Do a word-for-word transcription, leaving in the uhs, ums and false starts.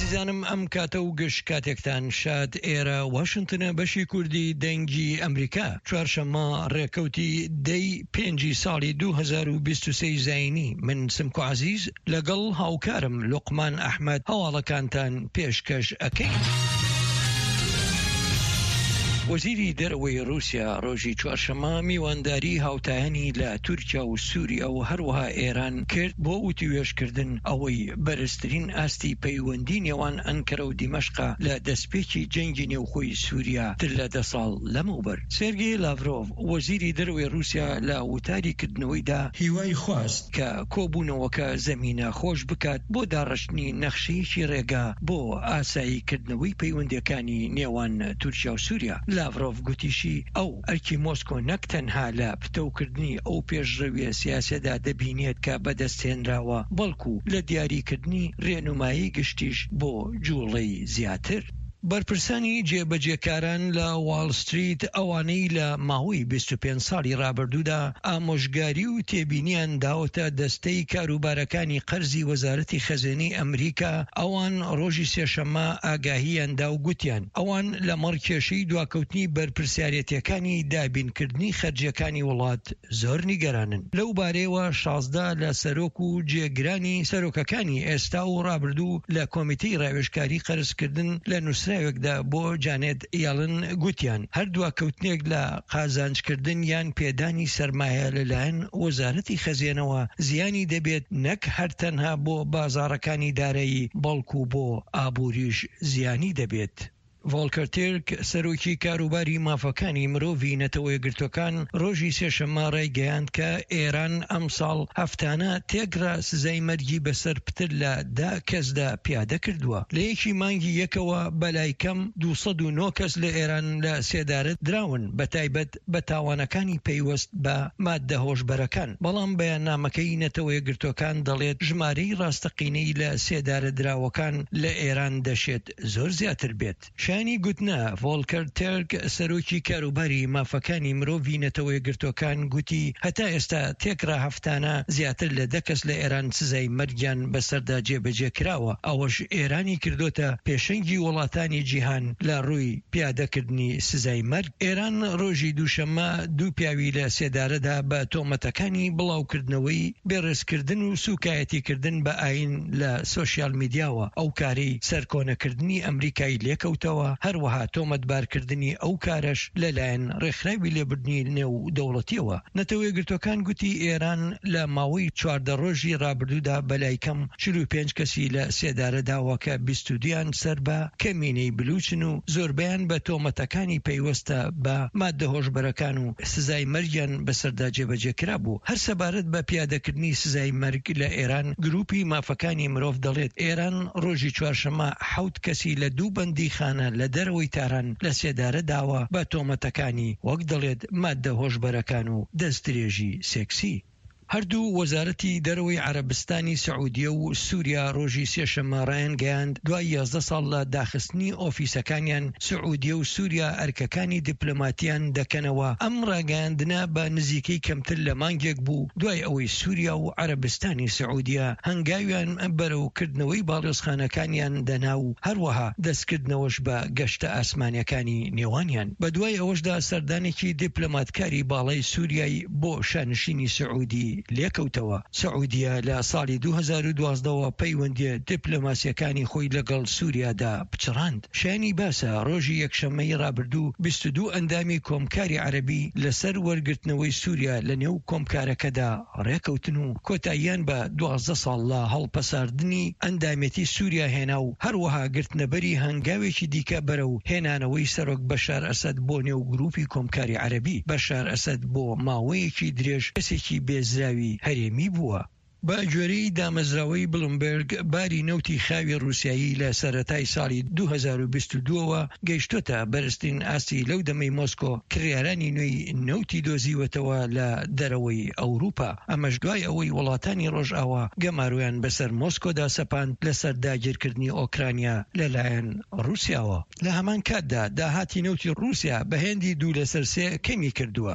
ئازیزانم، ئەم کاتە و گشت کاتێکتان شاد. ئێرە واشنتنە، بەشی کوردی دەنگی ئەمریکا. چوارشەممە ڕێکەوتی دەی پێنجی ساڵی دوو هەزار و بیست و سێ زایینی، من سمکۆ عەزیز لەگەڵ هاوکارم لوقمان ئەحمەد هەواڵەکانتان پێشکەش ئەکەین. وەزیری دەرەوەی رووسیا ڕۆژی چوارشەممە میوانداری هاوتایانی لە تورکیا و سووریا و هەروەها ئێران کرد بۆ وتوێژکردن ئەوەی بەرزترین ئاستی پەیوەندی نێوان ئەنکەرە و دیمەشقا لە دەستپێکی جەنگی نێوخۆی سووریا تر لە دە ساڵ لەمەوبەر. سێرگی لاڤرۆڤ، وەزیری دەرەوەی رووسیا، لە وتاری کردنەوەیدا هیوای خواست کە کۆبوونەوەکە زەمینە خۆش بکات بۆ داڕشتنی نەخشەیەکی ڕێگا بۆ ئاساییکردنەوەی پەیوەندیەکانی نێوان تورکیا و سووریا. لاڤرۆڤ گوتیشی ئەو ئەرکی مۆسکۆ نەک تەنها لە پتەوکردنی ئەو پێشڕەویە سیاسیەدا دەبینێت کە بەدەستهێنراوە، بەڵکو لە دیاریکردنی ڕێنمایی گشتیش بۆ جوڵەی زیاتر. بەرپرسانی جێبەجێکاران لە واڵ ستریت، ئەوانەی لە ماوەی بیست و پێنج ساڵی ڕابردوودا ئامۆژگاری و تێبینیان داوەتە دەستەی کاروبارەکانی قەرزی وەزارەتی خەزێنەی ئەمریکا، ئەوان ڕۆژی سێشەممە ئاگاهیان دا و گوتیان ئەوان لەمەڕ کێشەی دواکەوتنی بەرپرسیارەتیەکانی دابینکردنی خەرجیەکانی وڵات زۆر نیگەرانن. لەو بارەیەوە شازدە لە سەرۆک و جێگرانی سەرۆکەکانی ئێستا و ڕابردوو لە کۆمیتەی ڕاوێژکاری قەرزکردن لە نووسراوێکدا بۆ جانێت یاڵن گوتیان هەر دواکەوتنێک لە قازانجکردن یان پێدانی سەرمایە لەلایەن وەزارەتی خەزێنەوە زیانی دەبێت، نەک هەر تەنها بۆ بازاڕەکانی دارایی، بەڵکو بۆ ئابووریش زیانی دەبێت. ڤۆڵکەر تێرک، سەرۆکی کاروباری مافەکانی مرۆڤی نەتەوەیەکگرتوەکان، ڕۆژی سێشەممە ڕایگەیاند کە ئێران ئەمساڵ هەفتانە تێکڕا سزای مەرگی بەسەر پتر لە دە کەسدا پیادە کردووە. لە یەکی مانگی یەکەوە بەلای کەم دوو سەد و نۆ کەس لە ئێران لە سێدارە دراون، بە تایبەت بە تاوانەکانی پەیوەست بە مادە هۆشبەرەکان، بەڵام بەیاننامەکەی نەتەوەیەکگرتوەکان دەڵێت ژمارەی ڕاستەقینەی لە سێدارە دراوەکان لە ئێران دەشێت زۆر زیاتر بێت. شایانی گوتنە ڤۆڵکەر تێرک، سەرۆکی کاروباری مافەکانی مرۆڤی نەتەوەیەکگرتوەکان، گوتی هەتا ئێستا تێکڕا هەفتانە زیاتر لە دە کەس لە ئێران سزای مەرگیان بەسەردا جێبەجێ کراوە، ئەوەش ئێرانی کردوتە پێشەنگی وڵاتانی جیهان لە ڕووی پیادەکردنی سزای مەرگ. ئێران ڕۆژی دووشەممە دوو پیاوی لە سێدارەدا بە تۆمەتەکانی بڵاوکردنەوەی بێڕێزکردن و سوکایەتیکردن بە ئاین لە سۆشیال میدیاوە، ئەو کارەی سەرکۆنەکردنی ئەمریکای لێکەوتەوە، هەروەها تۆمەتبارکردنی ئەو کارەش لەلایەن ڕێکخراوی لێبوردنی نێو دەوڵەتیەوە. نەتەوەیەکگرتوەکان گوتی ئێران لە ماوەی چواردە ڕۆژی ڕابردوودا بەلای کەم چل و پێنج کەسی لە سێدارە داوە کە بیست و دویان سەر بە کەمینەی بلوچن و زۆربەیان بە تۆمەتەکانی پەیوەستە بە مادە هۆشبەرەکان و سزای مەرگیان بەسەردا جێبەجێ کرابوو. هەر سەبارەت بە پیادەکردنی سزای مەرگ لە ئێران، گروپی مافەکانی مرۆڤ دەڵێت ئێران ڕۆژی چوارشەممە حەوت کەسی لە دوو بەندیخانە لە دەرەوەی تاران لە سێدارە داوە بە تۆمەتەکانی وەک دەڵێت مادە هۆشبەرەکان و دەستدرێژی سێکسی. هەردوو وەزارەتی دەرەوەی عەرەبستانی سعودیە و سووریا ڕۆژی سێشەممە ڕایانگەیاند دوای یازدە ساڵ لە داخستنی ئۆفیسەکانیان، سعودیە و سووریا ئەرکەکانی دیپلۆماتیان دەکەنەوە. ئەم ڕاگەیاندنە بە نزیکەی کەمتر لە مانگێک بوو دوای ئەوەی سووریا و عەرەبستانی سعودیە هەنگاویان بەرەو کردنەوەی باڵیۆزخانەکانیان دەنا و هەروەها دەستکردنەوەش بە گەشتە ئاسمانیەکانی نێوانیان. بە دوای ئەوەشدا سەردانێکی دیپلۆماتکاری باڵای سووریای بۆ شانشینی سعودی لێکەوتەوە. سعودیە لە ساڵی دوو هەزار و دوازدە وە پەیوەندیە دیپلۆماسیەکانی خۆی لەگەڵ سووریادا پچڕاند. شایانی باسە ڕۆژی یەکشەممەی ڕابردوو بیست و دوو ئەندامی کۆمکاری عەرەبی لەسەر وەرگرتنەوەی سووریا لە نێو کۆمکارەکەدا ڕێکەوتن و کۆتاییان بە دوازدە ساڵ لە هەڵپەساردنی ئەندامێتی سووریا هێنا و هەروەها گرتنەبەری هەنگاوێکی دیکە بەرەو هێنانەوەی سەرۆک بەشار ئەسەد بۆ نێو گروپی کۆمکاری عەرەبی. بەشار ئەسەد بۆ ماوەیەکی درێژ کەسێکی بێزراوی هەرێمی بووە. بە گوێرەی دامەزراوەی بلومبێرگ، باری نەوتی خاوی ڕووسیایی لە سەرەتای ساڵی دوو هەزار و بیست و دوو ەوە گەیشتۆتە بەرزترین ئاستی لەو دەمەی مۆسکۆ کڕیارانی نوێی نەوتی دۆزیوەتەوە لە دەرەوەی ئەوروپا، ئەمەش دوای ئەوەی وڵاتانی ڕۆژئاوا گەمارۆیان بەسەر مۆسکۆدا سەپاند لەسەر داگیرکردنی ئۆکرانیا لەلایەن ڕووسیاوە. لە هەمان کاتدا داهاتی نەوتی ڕووسیا بە هێندی دوو لەسەر سێ کەمی کردووە.